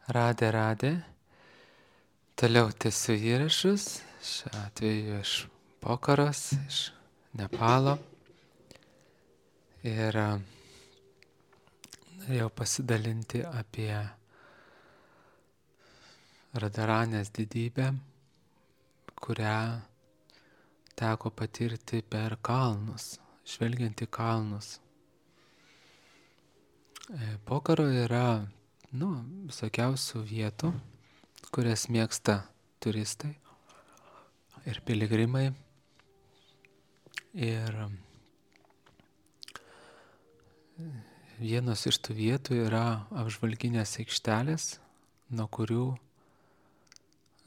Radė. Toliau tęsiu įrašus, šiuo atveju iš Pokaros, iš Nepalo. Ir norėjau pasidalinti apie Radaranės didybę, kurią teko patirti per kalnus, žvelgiant į kalnus. Pokaro yra visokiausių vietų, kurias mėgsta turistai ir piligrimai. Ir vienos iš tų vietų yra apžvalginės aikštelės, nuo kurių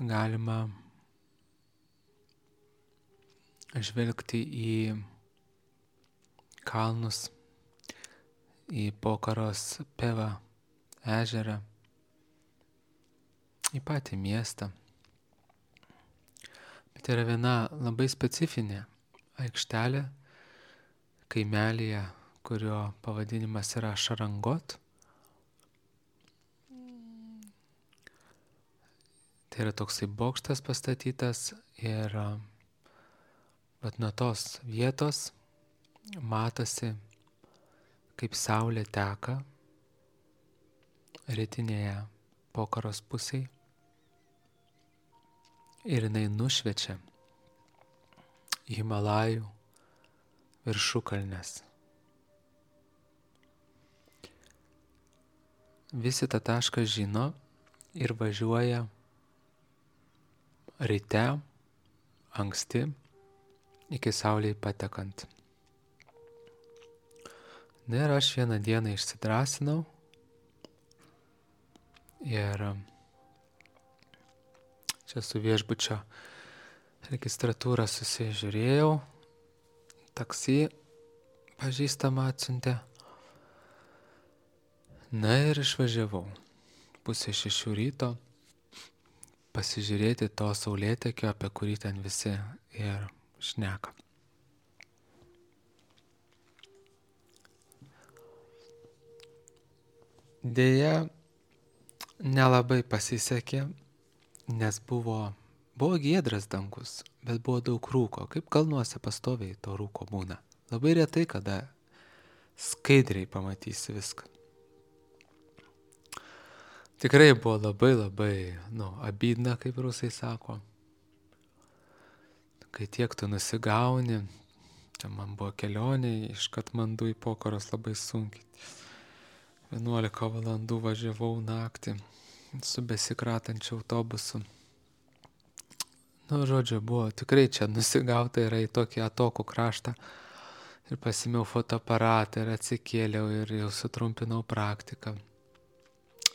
galima žvelgti į kalnus, į Pokaros Pevą ežerą, į patį miestą. Bet yra viena labai specifinė aikštelė kaimelyje, kurio pavadinimas yra Šarangot. Tai yra toksai bokštas pastatytas ir nuo tos vietos matosi, kaip saulė teka rytinėje Pokaros pusėje ir jinai nušviečia Himalajų viršukalnes. Visi tą tašką žino ir važiuoja ryte, anksti, iki saulei patekant. Na ir aš vieną dieną išsidrąsinau ir čia su viešbučio registratūra susižiūrėjau, taksi pažįstamą atsiuntė. Na ir išvažiavau 5:30 ryto pasižiūrėti to saulėtekio, apie kurį ten visi ir šneka. Deja, nelabai pasisekė, nes buvo giedras dangus, bet buvo daug rūko. Kaip kalnuose pastoviai to rūko būna. Labai retai, kada skaidriai pamatysi viską. Tikrai buvo labai, abydna, kaip rusai sako. Kai tiek tu nusigauni, čia man buvo kelionė iš Katmandu į Pokaros labai sunkiai. 11 valandų važiavau naktį su besikratančiu autobusu. Žodžiu, buvo tikrai čia nusigauta yra į tokį atokų kraštą. Ir pasimiau fotoaparatą ir atsikėliau ir jau sutrumpinau praktiką.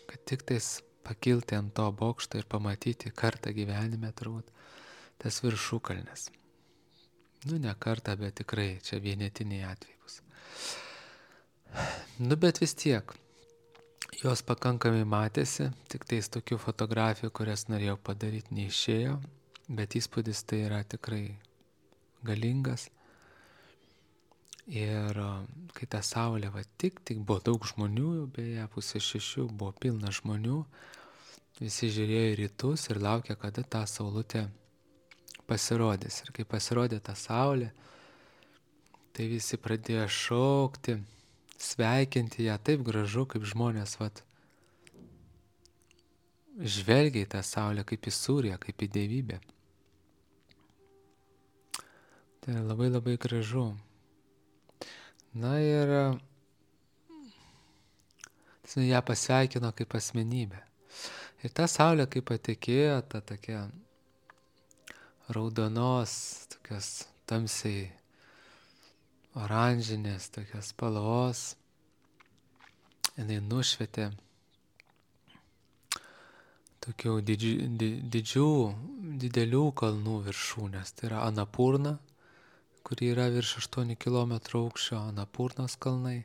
Kad tik tais pakilti ant to bokšto ir pamatyti kartą gyvenime turbūt tas viršukalnes. Ne kartą, bet tikrai čia vienetiniai atvejai bus. Bet vis tiek, jos pakankamai matėsi, tik tais tokių fotografijų, kurias norėjau padaryti, neišėjo, bet įspūdis tai yra tikrai galingas. Ir kai ta saulė tik buvo daug žmonių, beje, 5:30 buvo pilna žmonių, visi žiūrėjo į rytus ir laukė, kada ta saulutė pasirodys. Ir kai pasirodė ta saulė, tai visi pradėjo šaukti, sveikinti ją, taip gražu, kaip žmonės žvelgia į tą saulę kaip į sūriją, kaip į dievybę. Tai labai gražu. Na ir ją pasveikino kaip asmenybę. Ir ta saulė, kaip patekėjo, ta tokia raudonos, tokios tamsiai oranžinės, tokios spalvos, jinai nušvietė tokių didelių kalnų viršūnės. Tai yra Anapurna, kuri yra virš 8 km aukščio, Anapurnos kalnai,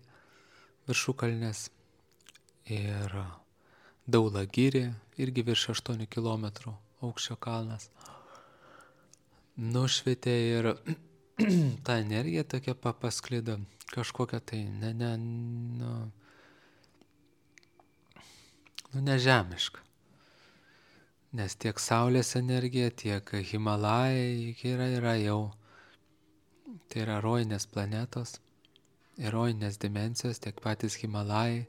viršukalnės. Ir Daulagiri, irgi virš 8 km aukščio kalnas. Nušvietė ir ta energija tokia pasklido, kažkokia tai nežemiška. nes tiek Saulės energija, tiek Himalajai yra jau, tai yra rojinės planetos, rojinės dimensijos, tiek patys Himalajai.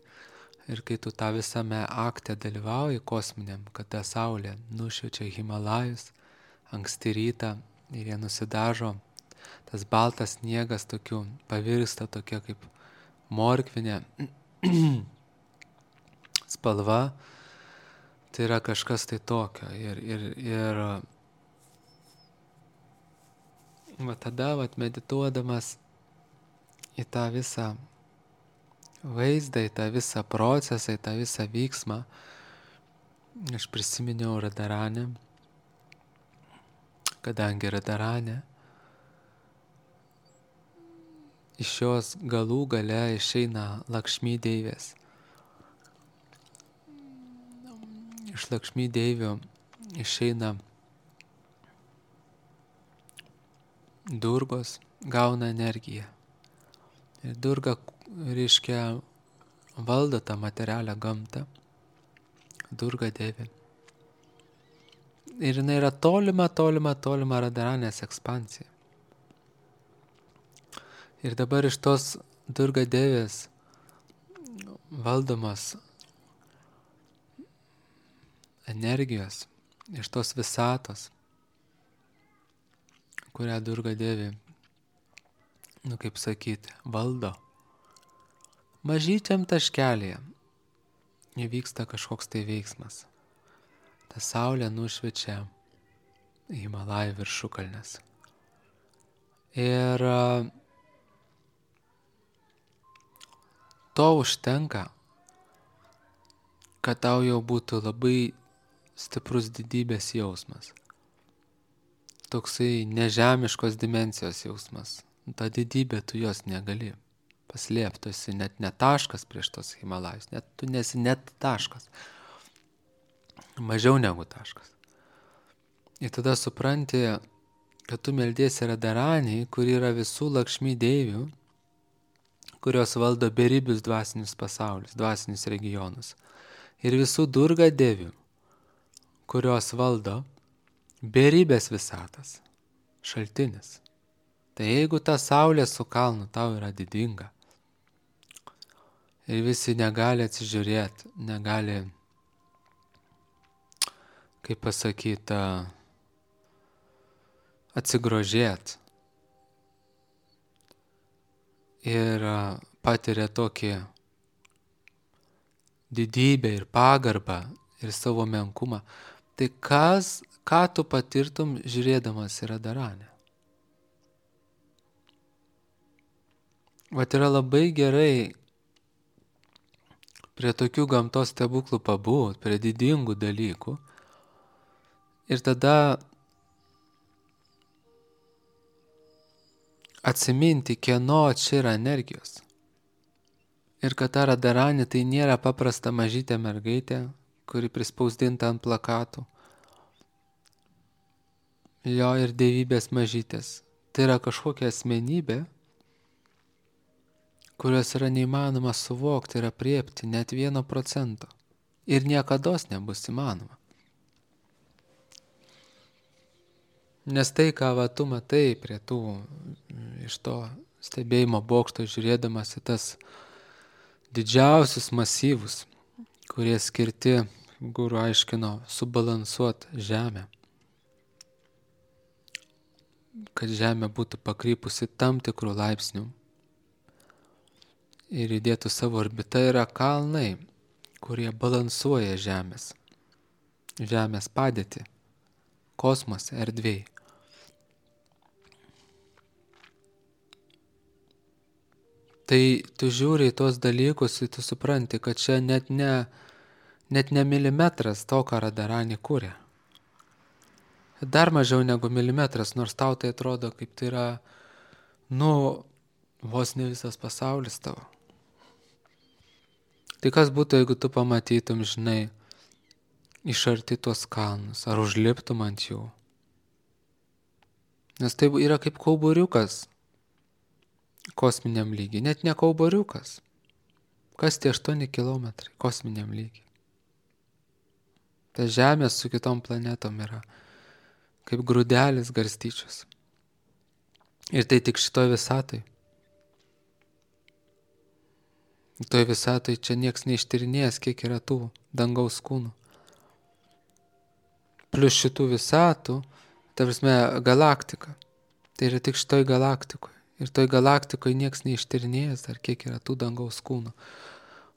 Ir kai tu tą visame akte dalyvauji kosminiam, kada Saulė nušviečia Himalajus anksti rytą ir jie nusidažo, tas baltas sniegas tokiu pavirsta tokia kaip morkvinė spalva, tai yra kažkas tai tokio. Ir va tada, medituodamas į tą visą vaizdą, į tą visą procesą, į tą visą vyksmą, aš prisiminiau Radaranę, kadangi Radaranė iš jos galų gale išeina Lakšmi deivės. Iš Lakšmi deivių išeina Durgos, gauna energiją. Ir Durga, reiškia, valdo tą materialią gamtą. Durga deivė. Ir jinai yra tolima Radaranės ekspansija. Ir dabar iš tos Durga deivės valdomos energijos, iš tos visatos, kurią Durga deivė, kaip sakyti, valdo, mažyčiam taškelėje įvyksta kažkoks tai veiksmas. Ta saulė nušviečia Himalajų viršukalnes. Ir to užtenka, kad tau jau būtų labai stiprus didybės jausmas. Toksai nežemiškos dimensijos jausmas. Ta didybė, tu jos negali paslėpti, tu esi net ne taškas prieš tos Himalajus, tu nesi net taškas. Mažiau negu taškas. Ir tada supranti, kad tu meldiesi Radaraniai, kur yra visų Lakšmi deivių, kurios valdo beribius dvasinius pasaulius, dvasinius regionus. Ir visų Durga deivių, kurios valdo beribės visatas, šaltinis. Tai jeigu ta saulė su kalnu tau yra didinga ir visi negali atsižiūrėti, negali, kaip pasakyti, atsigrožėti ir patiria tokį didybę ir pagarbą ir savo menkumą, tai ką tu patirtum žiūrėdamas į Radaranę? Vat yra labai gerai prie tokių gamtos stebuklų pabūt, prie didingų dalykų ir tada atsiminti, kieno čia yra energijos. Ir kad ta Radaranė tai nėra paprasta mažytė mergaitė, kuri prispausdinta ant plakatų. Jo ir dievybės mažytės. Tai yra kažkokia asmenybė, kurios yra neįmanoma suvokti ir apriepti net 1%. Ir niekados nebus įmanoma. Nes tai, ką tu matai prie tų, iš to stebėjimo bokšto žiūrėdamas į tas didžiausius masyvus, kurie skirti, guru aiškino, subalansuoti žemę. Kad žemė būtų pakrypusi tam tikrų laipsnių ir įdėtų savo orbitą, yra kalnai, kurie balansuoja žemės padėtį, kosmose, erdvėj. Tai tu žiūri į tos dalykus ir tu supranti, kad čia net ne milimetras to, ką Radaranė kūrė. Dar mažiau negu milimetras, nors tau tai atrodo, kaip tai yra, vos ne visas pasaulis tavo. Tai kas būtų, jeigu tu pamatytum, žinai, iš arti tuos kalnus, ar užliptum ant jų? Nes tai yra kaip kauburiukas kosminiam lygiai, net ne kauburiukas. Kas tie 8 kilometrai kosminiam lygiai? Ta Žemė su kitom planetom yra kaip grūdelis garstyčios. Ir tai tik šitoj visatoj. Toj visatoj čia nieks neištyrinėjęs, kiek yra tų dangaus kūnų. Plius šitų visatų, ta prasme, galaktika. Tai yra tik šitoj galaktikoje. Ir toj galaktikoje nieks neištyrinėjęs dar, kiek yra tų dangaus kūnų.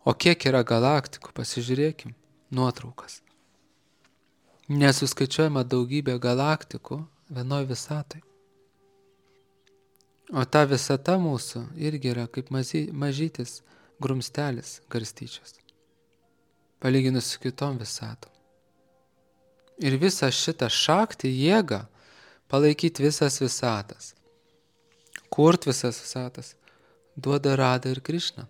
O kiek yra galaktikų, pasižiūrėkim, nuotraukas. Nesuskaičiuojama daugybė galaktikų vienoj visatoj. O ta visata mūsų irgi yra kaip mažytis grumstelis garstyčios, palyginus su kitom visatom. Ir visą šitą šaktį, jėgą, palaikyti visas visatas, kurt visas visatas, duoda Rada ir Krišna.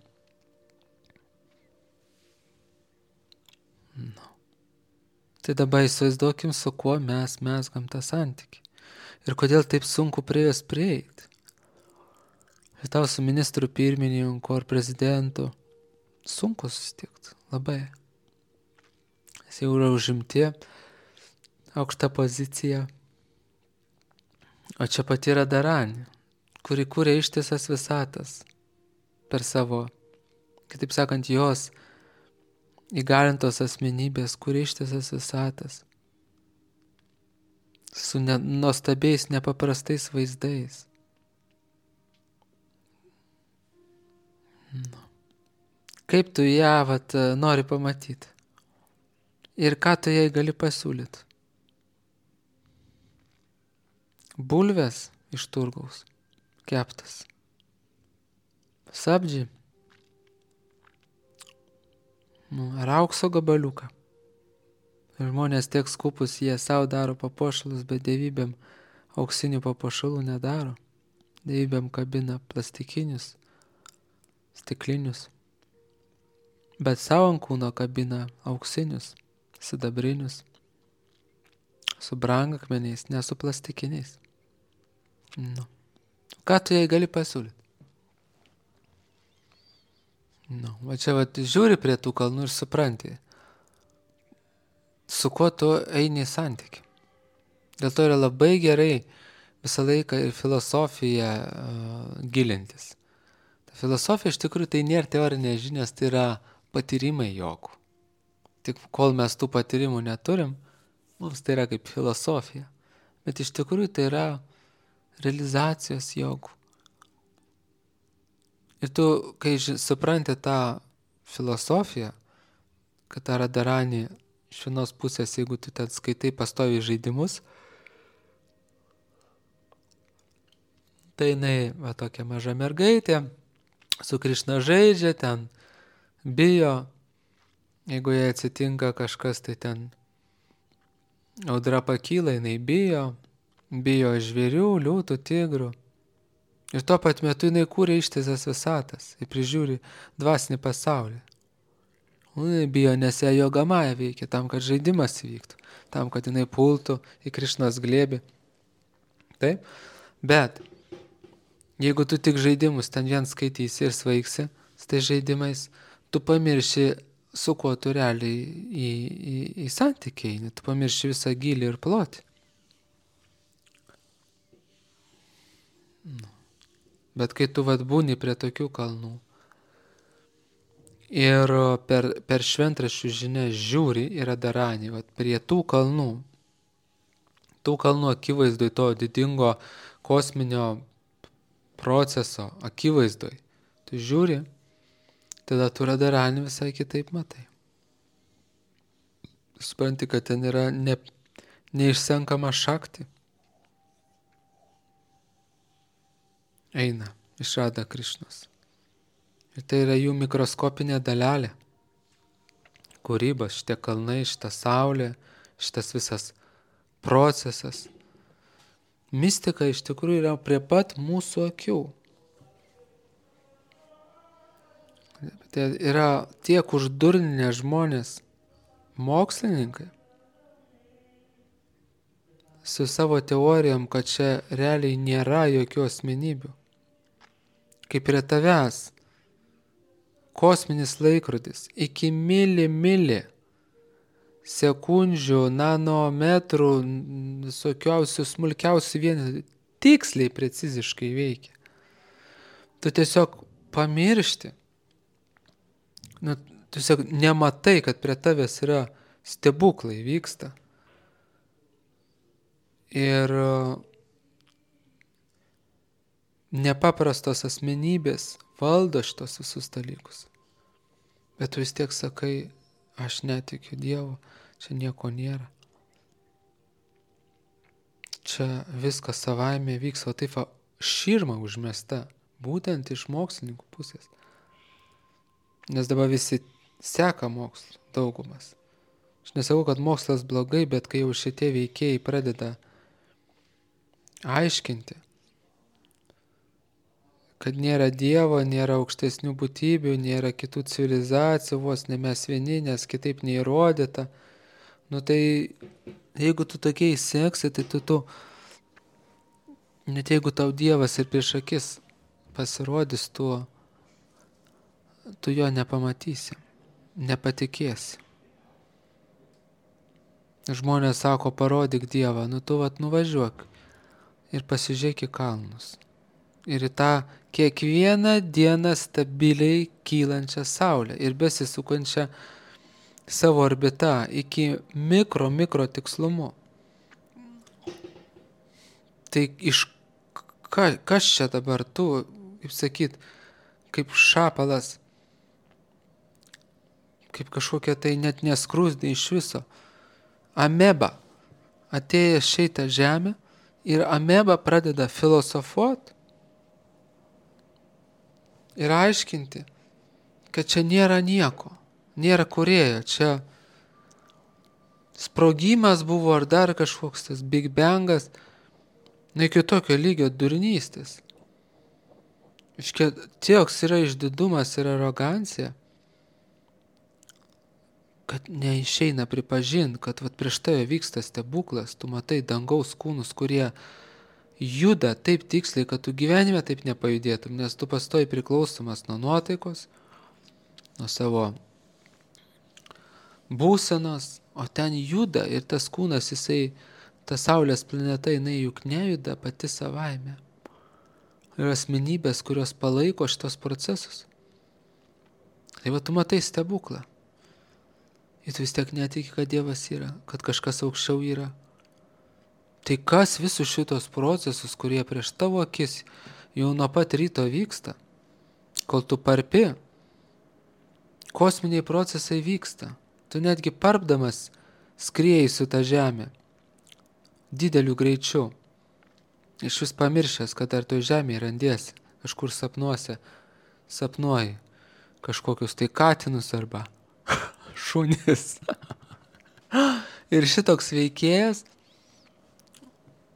No. Tai dabar įsivaizduokim, su kuo mes mezgam tą santykį. Ir kodėl taip sunku prie jos prieiti. Ir tau su ministru pirmininku ar prezidentu sunku susitikti, labai. Jis jau yra užimti, aukšta pozicija. O čia pati yra Daranė, kuri kūrė ištisas visatas per savo, kitaip sakant, jos įgalintos asmenybės, kūrė ištisas visatas su nuostabiais, nepaprastais vaizdais. Kaip tu ją nori pamatyti? Ir ką tu jai gali pasiūlyti? Bulvės iš turgaus, keptas. Sabdži. Ar aukso gabaliuką. Ir žmonės tiek skupus, jie savo daro papuošalus, bet dievybėm auksinių papuošalų nedaro. Dievybėm kabina plastikinius, stiklinius. Bet savo ant kūno kabina auksinius, sidabrinius, su brangakmeniais, ne su plastikiniais. Nu. Ką tu jai gali pasiūlyti? Nu, va čia žiūri prie tų kalnų ir supranti, su kuo tu eini į santykį. Dėl to yra labai gerai visą laiką ir filosofiją gilintis. Ta filosofija iš tikrųjų tai nėra teorinės žinios, tai yra patyrimai jogų. Tik kol mes tų patyrimų neturim, mums tai yra kaip filosofija. Bet iš tikrųjų tai yra realizacijos jogų. Ir tu, kai supranti tą filosofiją, kad ta Radharani iš vienos pusės, jeigu tu ten skaitai pastoviai žaidimus, tai jinai va tokia maža mergaitė, su Krišna žaidžia, ten bijo, jeigu jai atsitinka kažkas, tai ten audra pakyla, jinai bijo žvėrių, liūtų, tigrų. Ir tuo pat metu jinai kūrė ištisas visatas ir prižiūri dvasinį pasaulį. Jinai bijo, nes ją Jogamaja veikia tam, kad žaidimas įvyktų, tam, kad jinai pultų į Krišnos glėbį. Taip? Bet jeigu tu tik žaidimus ten vien skaitysi ir svaigsi, tai žaidimais tu pamirši, su kuo tu realiai į santykį eini, tu pamirši visą gylį ir plotį. Bet kai tu būni prie tokių kalnų ir per šventraščių žinias žiūri į Radharanį, prie tų kalnų akivaizdoj, to didingo kosminio proceso akivaizdoj, tu žiūri, tada tu Radharanį visai kitaip matai. Supranti, kad ten yra neišsenkama šakti. Eina iš Radha Krišnos. Ir tai yra jų mikroskopinė dalelė. Kūrybos, šitie kalnai, šita saulė, šitas visas procesas. Mistika iš tikrųjų yra prie pat mūsų akių. Tai yra tiek uždurninę žmonės, mokslininkai, su savo teorijom, kad čia realiai nėra jokių asmenybių. Kaip prie tavęs kosminis laikrodis iki mili sekundžių, nanometrų, visokiausių smulkiausių vienetų tiksliai, preciziškai veikia. Tu tiesiog pamiršti. Tiesiog nematai, kad prie tavęs yra stebuklai vyksta. Ir nepaprastos asmenybės valdo šitos visus dalykus. Bet tu vis tiek sakai, aš netikiu Dievu, čia nieko nėra. Čia viskas savaime vyks, o taip širma užmesta, būtent iš mokslininkų pusės. Nes dabar visi seka mokslų, daugumas. Aš nesakau, kad mokslas blogai, bet kai jau šitie veikėjai pradeda aiškinti, kad nėra Dievo, nėra aukštesnių būtybių, nėra kitų civilizacijų, vos ne mes vieni, nes kitaip neįrodyta. Tai jeigu tu tokiai seksi, tai tu net jeigu tau Dievas ir prieš akis pasirodys, tu jo nepamatysi, nepatikėsi. Žmonės sako, parodyk Dievą, tu nuvažiuok ir pasižiūrėk į kalnus. Ir į tą kiekvieną dieną stabiliai kylančią saulę ir besisukančią savo orbitą iki mikro tikslumu. Tai kas čia dabar tu, kaip sakyt, kaip šapalas, kaip kažkokia tai net neskrusdė iš viso. Ameba atėjęs šitą žemę ir ameba pradeda filosofuoti ir aiškinti, kad čia nėra nieko, nėra kūrėjo, čia sprogimas buvo ar dar kažkoks tas Big Bangas, iki tokio lygio durnystės. Tieks yra išdidumas ir arogancija, kad neišeina pripažinti, kad prieš tave vyksta stebuklas, tu matai dangaus kūnus, kurie juda taip tiksliai, kad tu gyvenime taip nepajudėtum, nes tu pastoji priklausomas nuo nuotaikos, nuo savo būsenos, o ten juda ir tas kūnas, ta Saulės planeta, jinai juk nejuda pati savaime. Ir asmenybės, kurios palaiko šitos procesus. Tai tu matai stebuklą. Ir tu vis tiek netiki, kad Dievas yra, kad kažkas aukščiau yra. Tai kas visus šitos procesus, kurie prieš tavo akis jau nuo pat ryto vyksta, kol tu parpi, kosminiai procesai vyksta. Tu netgi parpdamas skrieji su ta žemė dideliu greičiu. Iš vis pamiršęs, kad ar toj žemėje randiesi, kažkur sapnuoji kažkokius tai katinus arba šunis. Ir šitoks veikėjas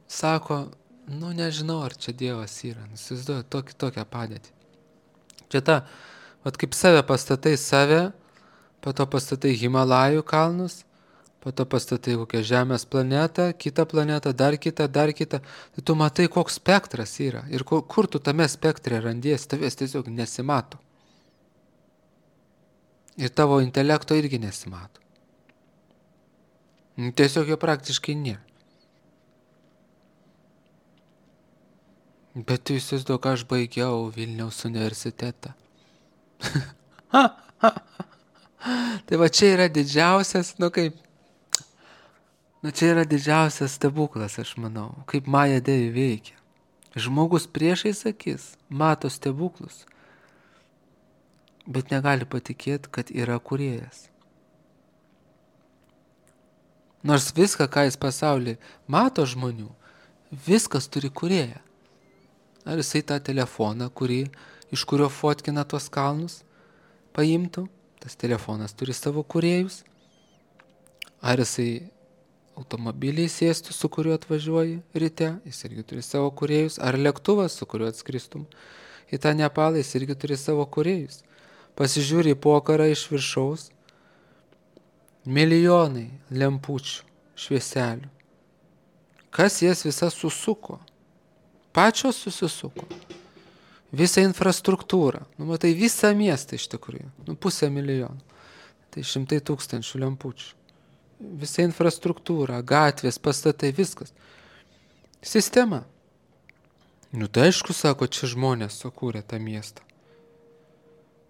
sako, nežinau, ar čia Dievas yra. Įsivaizduoju tokią padėtį. Čia kaip save pastatai save, po to pastatai Himalajų kalnus, po to pastatai kokią Žemės planetą, kitą planetą, dar kitą. Tai tu matai, koks spektras yra. Ir kur tu tame spektre randiesi, tavęs tiesiog nesimato. Ir tavo intelekto irgi nesimato. Tiesiog jo praktiškai nėra. Bet tu įsivaizduok, aš baigiau Vilniaus universitetą. Tai čia yra didžiausias, čia yra didžiausias stebuklas, aš manau, kaip Maja Devi veikia. Žmogus priešais akis mato stebuklus, bet negali patikėti, kad yra kūrėjas. Nors viską, ką jis pasaulyje mato žmonių, viskas turi kūrėją. Ar jisai tą telefoną, iš kurio fotkina tuos kalnus, paimtų, tas telefonas turi savo kūrėjus. Ar jisai automobiliai sėstų, su kuriuo atvažiuoji ryte, jis irgi turi savo kūrėjus. Ar lėktuvas, su kuriuo atskristum į tą Nepalą, jis irgi turi savo kūrėjus. Pasižiūri į pokarą iš viršaus, milijonai lempučių, švieselių. Kas jas visas susuko? Pačios susisuko. Visą infrastruktūrą. Matai, visą miestą iš tikrųjų. 500 000. Tai 100 000 lempučių. visa infrastruktūra, gatvės, pastatai, viskas. Sistema. Nu tai aišku, sako, čia žmonės sukūrė tą miestą.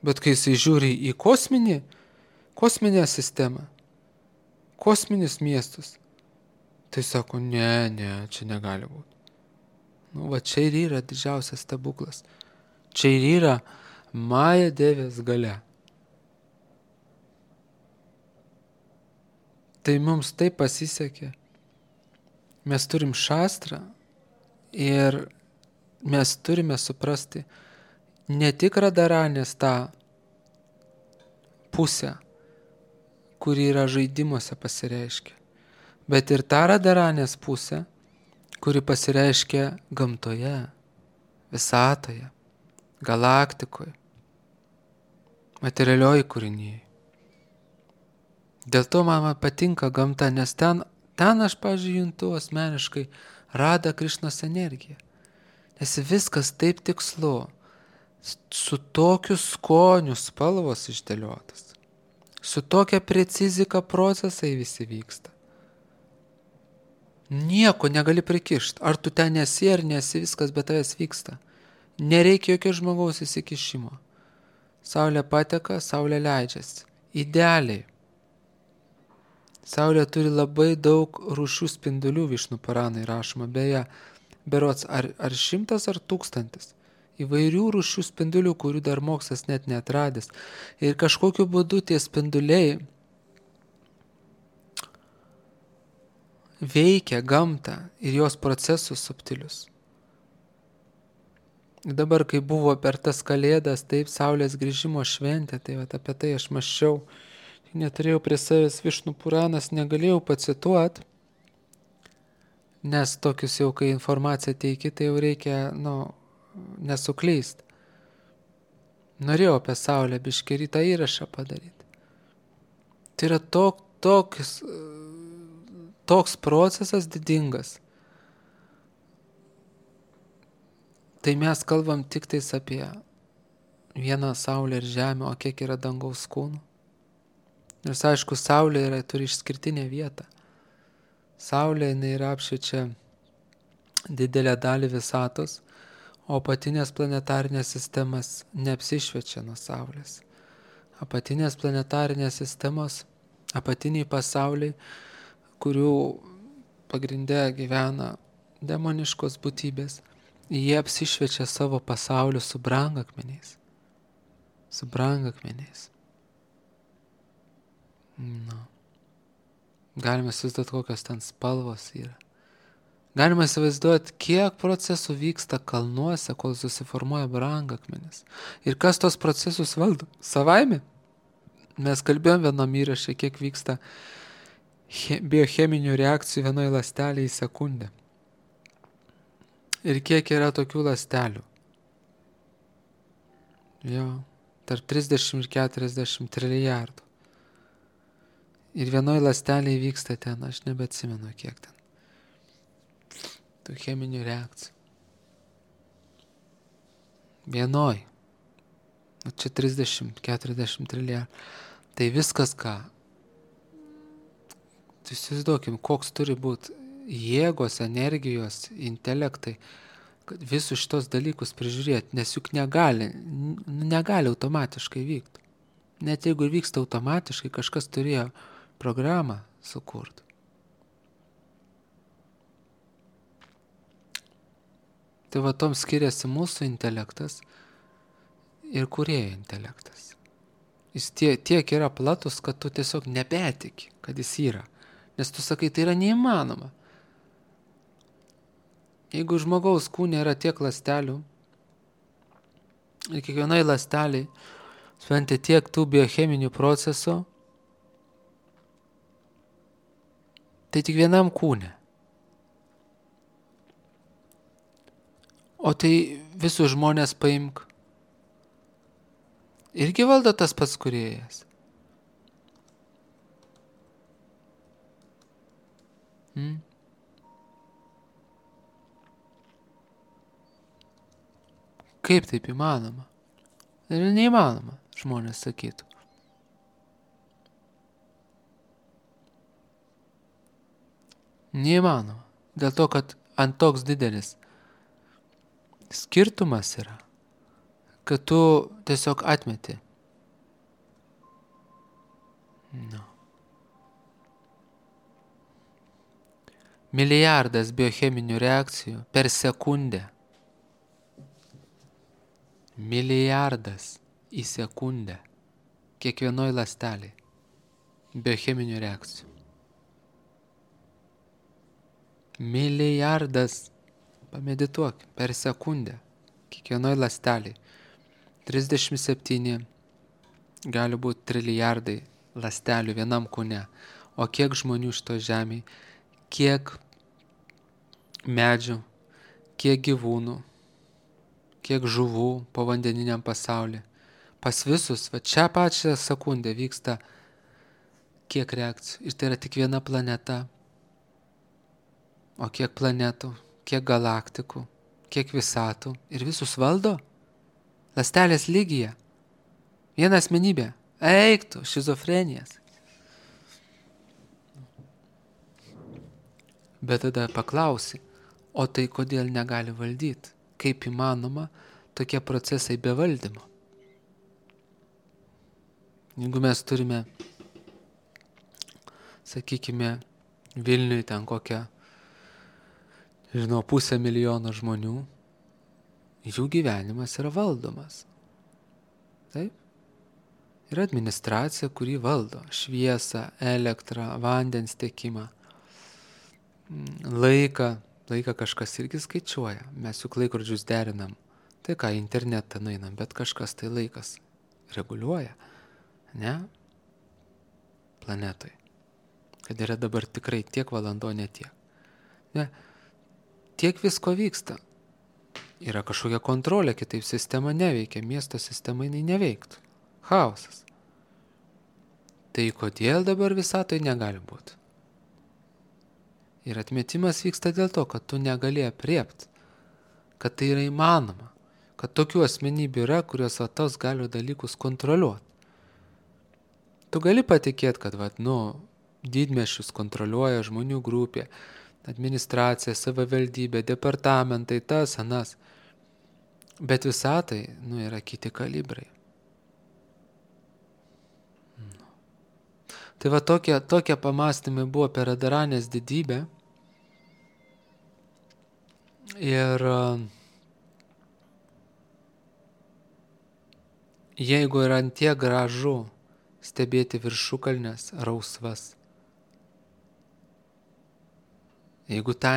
Bet kai jisai žiūri į kosminę sistemą, kosminius miestus, tai sako, ne, čia negali būti. Nu va čia ir yra didžiausias stebuklas. Čia ir yra Maja Devės galia. Tai mums taip pasisekė. Mes turim šastrą ir mes turime suprasti ne tik radaranės tą pusę, kuri yra žaidimuose pasireiškia, bet ir tą radaranės pusę, kuri pasireiškia gamtoje, visatoje, galaktikoje, materialioji kūrinyje. Dėl to man patinka gamta, nes ten aš, pavyzdžiui, juntu asmeniškai Radha Krišnos energiją. Nes viskas taip tikslu, su tokiu skoniu spalvos išdėliotas, su tokia precizika procesai visi vyksta. Nieko negali prikišti, ar tu ten esi ar nesi, viskas be tavęs vyksta. Nereikia jokio žmogaus įsikišimo. Saulė pateka, saulė leidžiasi. Idealiai. Saulė turi labai daug rūšių spindulių, Višnu Puranai rašoma, beje, berods ar 100 ar 1000. Įvairių rūšių spindulių, kurių dar mokslas net neatradęs. Ir kažkokiu būdu tie spinduliai veikia gamtą ir jos procesus subtilius. Ir dabar, kai buvo per tas kalėdas, taip, Saulės grįžimo šventė, tai apie tai aš mąsčiau. Neturėjau prie savęs Višnu Puranas, negalėjau pacituoti, nes tokius jau, kai informaciją teiki, tai jau reikia, nesuklyst. Norėjau apie Saulę biškį rytą įrašą padaryti. Tai yra toks procesas didingas. Tai mes kalbam tik tais apie vieną Saulę ir Žemę, o kiek yra dangaus kūnų. Nors aišku, Saulė turi išskirtinę vietą. Saulė yra apšviečia didelę dalį visatos, o apatinės planetarinės sistemas neapsišviečia nuo Saulės. Apatinės planetarinės sistemos, apatiniai pasauliai, kurių pagrinde gyvena demoniškos būtybės, jie apsišviečia savo pasauliu su brangakmeniais. Galime įsivaizduoti, kokios ten spalvos yra. Galima įsivaizduoti, kiek procesų vyksta kalnuose, kol susiformuoja brangakmenis. Ir kas tos procesus valdo? Savaime? Mes kalbėjom vienam įraše, kiek vyksta biocheminių reakcijų vienoje ląstelėje į sekundę. Ir kiek yra tokių ląstelių? Tarp 30 ir 40 trilijardų. Ir vienoje ląstelėje vyksta ten, aš nebeatsimenu kiek ten. Tų cheminių reakcijų. Vienoj. Čia 30-40 trilijardų. Tai viskas ką? Tai įsivaizduokim, koks turi būti jėgos, energijos, intelektai, kad visus šitos dalykus prižiūrėti, nes juk negali automatiškai vykti. Net jeigu vyksta automatiškai, kažkas turėjo programą sukurti. Tai va tom skiriasi mūsų intelektas ir kūrėjo intelektas. Jis tiek yra platus, kad tu tiesiog nebetiki, kad jis yra. Nes tu sakai, tai yra neįmanoma. Jeigu žmogaus kūne yra tiek ląstelių, ir kiekvienai ląsteliai šventė tiek tų biocheminių procesų, tai tik vienam kūne. O tai visus žmonės paimk. Irgi valdo tas pats kūrėjas. Kaip taip įmanoma? Ir neįmanoma, žmonės sakytų. Neįmanoma. Dėl to, kad ant toks didelis skirtumas yra, kad tu tiesiog atmeti. No. Milijardas biocheminių reakcijų per sekundę. Milijardas į sekundę. Kiekvienoj ląstelėj. Biocheminių reakcijų. Milijardas. Pamedituok per sekundę. Kiekvienoj ląstelėj. 37 gali būti trilijardai ląstelių vienam kūne. O kiek žmonių šito žemėj, kiek medžių, kiek gyvūnų, kiek žuvų povandeniniam pasaulyje. Pas visus, va čia pačią sekundę vyksta kiek reakcijų. Ir tai yra tik viena planeta. O kiek planetų, kiek galaktikų, kiek visatų. Ir visus valdo. Ląstelės lygyje. Viena asmenybė. Eiktų, šizofrenijas. Bet tada paklausi, o tai kodėl negali valdyti? Kaip įmanoma tokie procesai be valdymo? Jeigu mes turime, sakykime, Vilniui ten kokią, 500 milijono žmonių, jų gyvenimas yra valdomas. Taip? Yra administracija, kuri valdo šviesą, elektrą, vandens tiekimą, laiką kažkas irgi skaičiuoja. Mes juk laikrodžius derinam. Tai ką, internetą nueinam, bet kažkas tai laikas reguliuoja. Ne? Planetoj. Kad yra dabar tikrai tiek valandų, ne tiek. Ne? Tiek visko vyksta. Yra kažkokia kontrolė, kitaip sistema neveikia. Miesto sistema jinai neveiktų. Chaosas. Tai kodėl dabar visatoj negali būti? Ir atmetimas vyksta dėl to, kad tu negali apriept, kad tai yra įmanoma, kad tokių asmenybių yra, kurios tos gali dalykus kontroliuoti. Tu gali patikėti, kad didmiesčius kontroliuoja žmonių grupė, administracija, savivaldybė, departamentai, tas, anas. Bet visatai, yra kiti kalibrai. Tai va tokie pamastymai buvo apie Radaranės didybę. Ir jeigu yra antie gražu stebėti viršukalnes rausvas, jeigu ta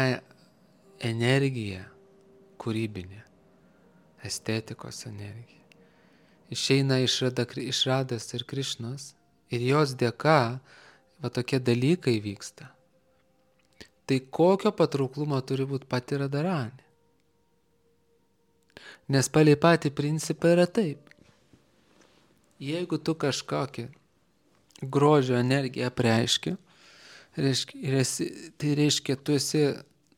energija kūrybinė, estetikos energija, išeina iš Radas ir Krišnos, ir jos dėka tokie dalykai vyksta, tai kokio patrauklumo turi būti pati Radaranė? Nes palei patį principą yra taip. Jeigu tu kažkokią grožio energiją apreiški, tai reiškia, tu esi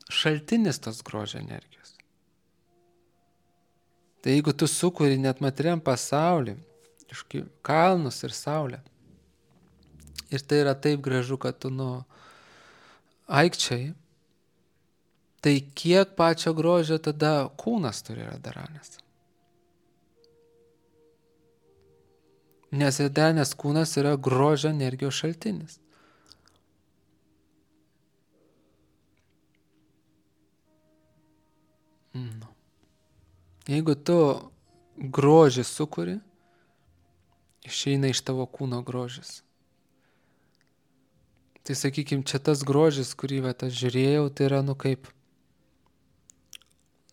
šaltinis tos grožio energijos. Tai jeigu tu sukuri net materiam pasaulį, kalnus ir saulę, ir tai yra taip gražu, kad tu aikčiai, tai kiek pačio grožio tada kūnas turi Radaranės? Nes Radaranės kūnas yra grožio energijos šaltinis. Jeigu tu grožį sukuri, išeina iš tavo kūno grožis. Tai sakykime, čia tas grožis, kurį aš žiūrėjau, tai yra kaip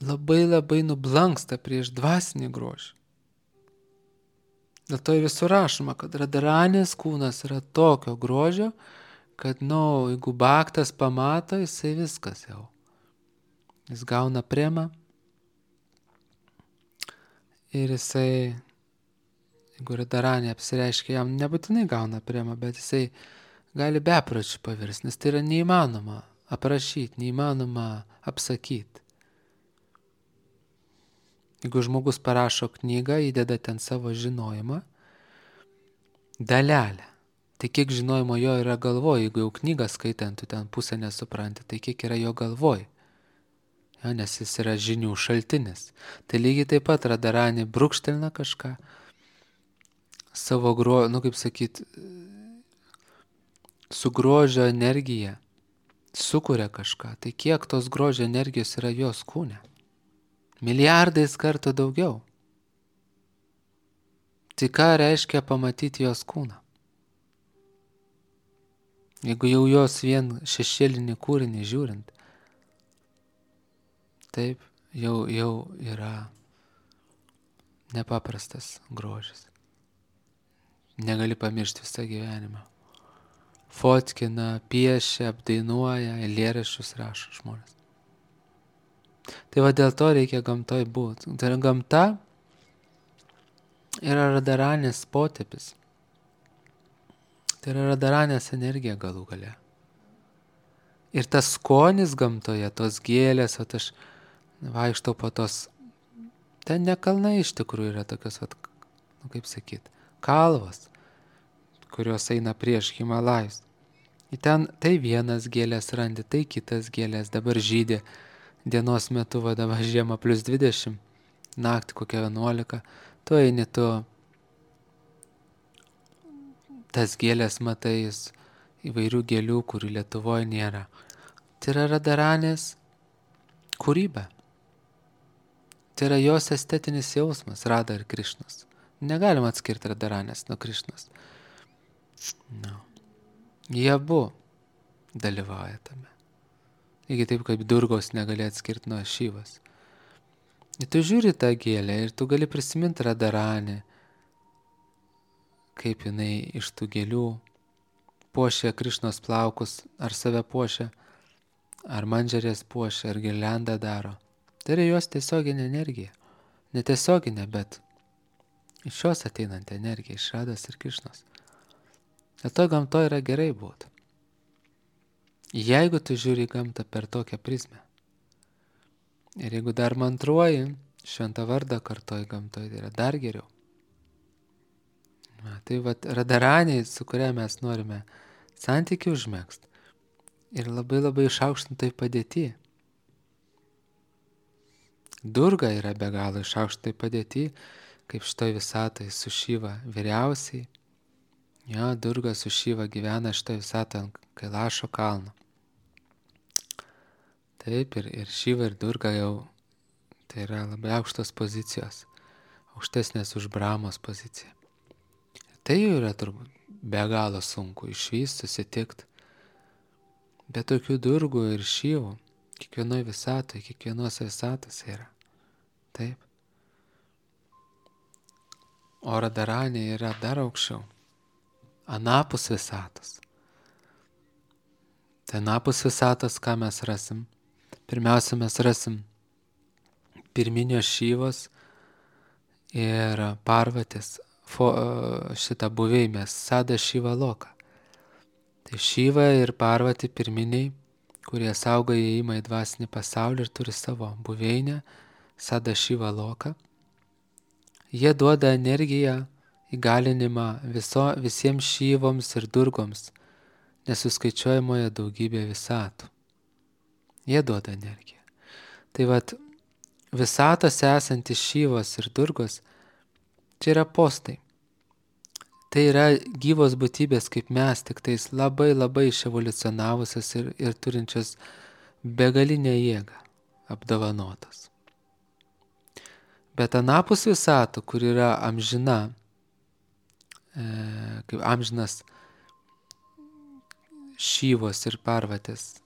labai nublanksta prieš dvasinį grožį. Dėl to ir visur rašoma, kad Radaranės kūnas yra tokio grožio, kad, jeigu baktas pamato, jisai viskas jau. Jis gauna premą ir jisai, jeigu Radaranė apsireiškia, jam nebūtinai gauna premą, bet jisai gali bepročiu pavirsti, nes tai yra neįmanoma aprašyti, neįmanoma apsakyti. Jeigu žmogus parašo knygą, įdeda ten savo žinojimą, dalelę, Tai kiek žinojimo jo yra galvoj, jeigu jau knygą skaitant, tu ten pusę nesupranti, tai kiek yra jo galvoj. Ja, nes jis yra žinių šaltinis. Tai lygiai taip pat Radharani brūkštelina kažką, savo kaip sakyt, su grožio energija sukuria kažką. Tai kiek tos grožio energijos yra jos kūne? Milijardais kartų daugiau. Tai ką reiškia pamatyti jos kūną? Jeigu jau jos vien šešėlinį kūrinį žiūrint, taip, jau yra nepaprastas grožis. Negali pamiršti visą gyvenimą. Fotkina, piešia, apdainuoja, eilėraščius rašo žmonės. Tai va dėl to reikia gamtoj būti. Tai gamta yra Radharanės potėpis. Tai yra Radharanės energija galų gale. Ir tas skonis gamtoje, tos gėlės, aš vaikštau po tos, ten ne kalnai iš tikrųjų yra tokios, kaip sakyt, kalvos, kurios eina prieš Himalajus. Į ten tai vienas gėlės randi, tai kitas gėlės, dabar žydė dienos metu, dabar žiemą +20, naktį kokia 11, tu eini, tu tas gėlės matai, įvairių gėlių, kurių Lietuvoje nėra. Tai yra Radharanės kūryba. Tai yra jos estetinis jausmas, Radha ir Krišnas. Negalima atskirti Radharanės nuo Krišnos. No. Jie abu dalyvauja tame. Lygiai taip, kaip Durgos negali atskirti nuo Šyvos. Ir tu žiūri tą gėlę ir tu gali prisiminti Radharanę, kaip jinai iš tų gėlių puošia Krišnos plaukus, ar save puošia, ar mandžarės puošia, ar girliandą daro. Tai yra jos tiesioginė energija. Netiesioginė, bet iš jos ateinanti energija, iš Radhos ir Krišnos. Dėl to gamtoje yra gerai būti. Jeigu tu žiūri gamtą per tokią prizmę, ir jeigu dar mantruoji, šventą vardą kartoji gamtoje, tai yra dar geriau. Tai Radharaniai, su kuria mes norime santykių užmegzti, ir labai išaukštintai padėti. Durga yra be galo išaukštintai padėti, kaip šitoj visatoj su Šiva vyriausiai. Jo, Durga su Šiva gyvena šitoj visatoj ant Kailašo kalno. Taip, ir Šiva ir Durga jau tai yra labai aukštos pozicijos, aukštesnės už Brahmos poziciją. Tai jau yra turbūt be galo sunku išvysti, susitikti. Bet tokių Durgų ir Šyvų kiekvienoje visatoje, kiekvienose visatose yra. Taip. O Radharanė yra dar aukščiau. Anapus visatos. Tai anapus visatos, ką mes rasim? Pirmiausia, mes rasim pirminio Šyvos ir Parvatės šitą buveinę, Sada Šiva Loka. Tai Šiva ir Parvati pirminiai, kurie saugo įėjimą į dvasinį pasaulį ir turi savo buveinę, Sada Šiva Loka. Jie duoda energiją, įgalinimą visiems Šyvoms ir Durgoms, nesuskaičiuojamoje daugybė visatų. Jie duoda energiją. Tai visatose esantys Šyvos ir Durgos, čia yra postai. Tai yra gyvos būtybės kaip mes, tik tais labai iševoliucionavusios ir turinčios begalinę jėgą, apdovanotos. Bet anapus visatų, kur yra amžina, kaip amžinas Šyvos ir Parvatės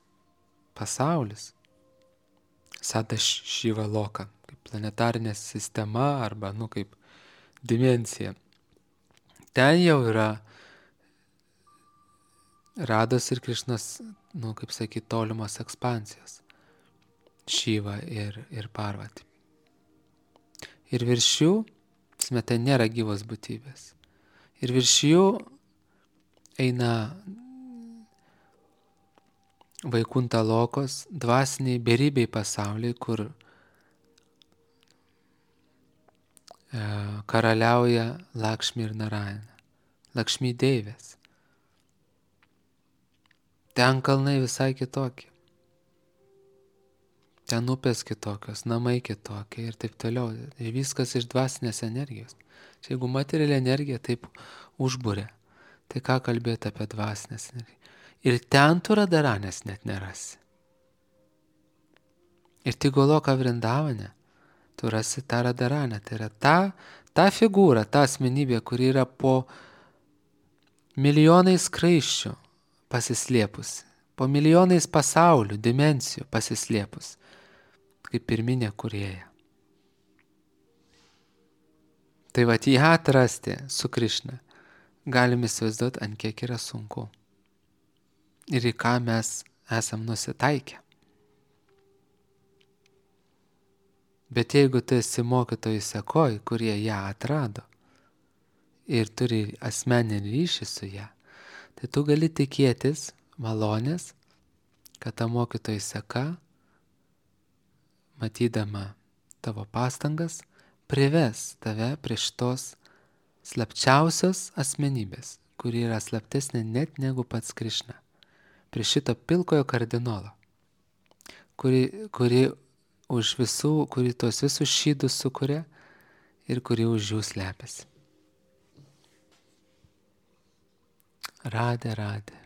pasaulis, Sada Šiva Loka, kaip planetarinė sistema arba, kaip dimensija. Ten jau yra Radhos ir Krišnos, kaip sakyti, tolimos ekspansijos. Šiva ir Parvati. Ir virš jų, ten nėra gyvos būtybės. Ir virš jų eina Vaikunta Lokos, dvasiniai beribiai pasauliai, kur karaliauja Lakšmi ir Narayana. Lakšmi deivės. ten kalnai visai kitokie. Ten upės kitokios, namai kitokie ir taip toliau. Ir viskas iš dvasinės energijos. Čia jeigu materiali energija taip užbūrė, tai ką kalbėti apie dvasinės energiją? Ir ten tu Radharanės net nerasi. Ir tik Goloka Vrindavane tu rasi tą Radharanę. Tai yra ta figūra, ta asmenybė, kuri yra po milijonais skraisčių pasislėpusi, po milijonais pasaulių, dimensijų pasislėpus, kaip pirminė kūrėja. Tai vat ją atrasti su Krišna galim įsivaizduoti, ant kiek yra sunku. Ir į ką mes esam nusitaikę. Bet jeigu tu esi mokytojų sekoj, kurie ją atrado ir turi asmeninį ryšį su ją, tai tu gali tikėtis malonės, kad ta mokytojų seka, matydama tavo pastangas, prives tave prie šitos slapčiausios asmenybės, kuri yra slaptesnė net negu pats Krišna, prie šito pilkojo kardinolo, kuri už visų, kuri tos visus šydus sukuria ir kuri už jų slepiasi. Radhe, Radhe.